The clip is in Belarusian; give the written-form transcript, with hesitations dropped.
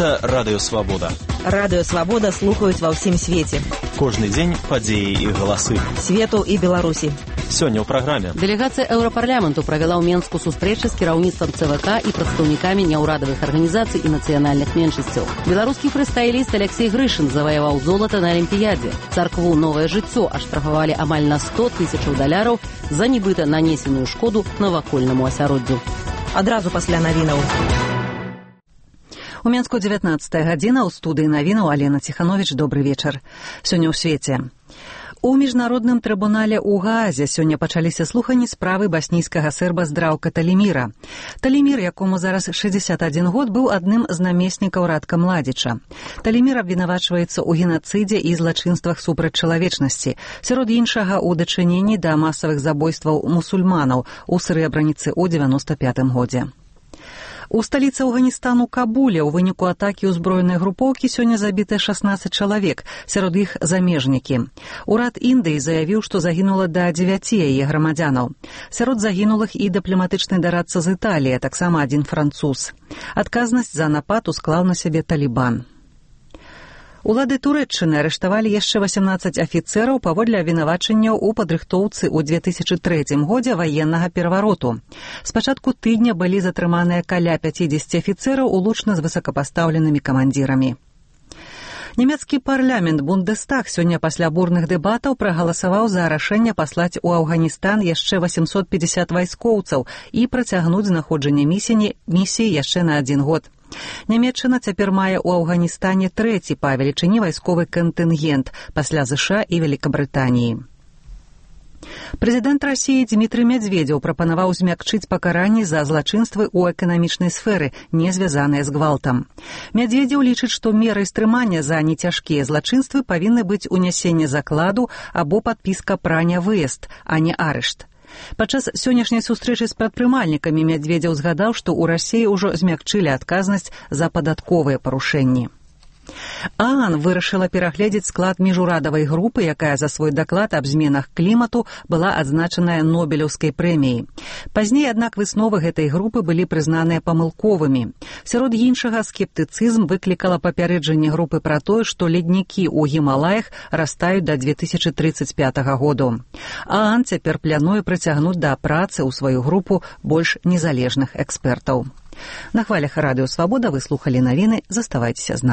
Гэта Радыё Свабода. Радыё Свабода слухаюць ва ўсім свеце. Кожны дзень падзеі і галасы. Свету і Беларусі. Сёння ў праграме. Дэлегацыя Еўрапарламенту правяла ў Менску сустрэчы з кіраўніцтвам ЦВК і прадстаўнікамі няўрадавых арганізацый і нацыянальных меншасцяў. Беларускі фрыстайліст Алексей Грышын заваяваў золата на Алімпіядзе. Царкву «Новае жыццё» аштрафавалі амаль на 100 000 даляраў за нібыта нанесеную шкоду навакольнаму асяроддзю. Адразу пасля навінаў. У Менску 19 гадзіна, у студыі навінаў Алена Ціхановіч. Добры вечар. Сёння ў свеце. У міжнародным трыбунале ў Гаазе сёння пачаліся слуханні справы баснійскага серба Здраўка Таліміра. Талімір, якому зараз 61 год, быў адным з намеснікаў Радка Младзіча. Талімір абвінавачваецца ў генацыдзе і злачынствах супраць чалавечнасці, сярод іншага ў дачыненні да масавых забойстваў мусульманаў у Срэбраніцы ў 95 годзе. У сталіцы Афганістану Кабуле ў выніку атакі ўзброенай групоўкі сёння забіты 16 чалавек, сярод іх замежнікі. Урад Індыі заявіў, што загінула да 9 яе грамадзянаў. Сярод загінулых і дыпламатычны дарадца з Італіі, таксама адзін француз. Адказнасць за напад усклаў на сябе Талібан. Улады Турэччыны арыштавалі яшчэ 18 афіцэраў паводле абвінавачанняў у падрыхтоўцы ў 2003 годзе ваеннага перавароту. З пачатку тыдня былі затрыманыя каля 50 афіцэраў улучна з высокапастаўленымі камандзірамі. Нямецкі парламент Бундестаг сёння пасля бурных дэбатаў прагаласаваў за рашэнне паслаць у Афганістан яшчэ 850 вайскоўцаў і працягнуць знаходжанне місіі яшчэ на 1 год. Нямецчына цяпер мае ў Афганістане трэці па велічыні вайсковы кантынгент пасля ЗША і Вялікабрытаніі. Прэзідэнт Расіі Дмітрый Мядзведзеў прапанаваў змякчыць пакаранні за злачынствы ў эканамічнай сферы, не звязаныя з гвалтам. Мядзведзеў лічыць, што мерай стрымання за нецяжкія злачынствы павінны быць унясенне закладу або падпіска пра нявыезд, а не арышт. Падчас сённяшняй сустрэчы з прадпрымальнікамі Мядзведзеў згадаў, што ў Расіі ўжо змякчылі адказнасць за падатковыя парушэнні. ААН вырашыла перагледзець склад міжурадавай групы, якая за свой даклад аб зменах клімату была адзначаная Нобелеўскай прэміяй. Пазней, аднак, высновы гэтай групы былі прызнаныя памылковымі. Сярод іншага, скептыцызм выклікала папярэджанне групы пра тое, што леднікі ў Гімалаях растаюць да 2035 году. ААН цяпер плануе прыцягнуць да працы ў сваю групу больш незалежных экспертаў. На хвалях Радыё Свабода вы слухалі навіны. Заставайцеся з намі.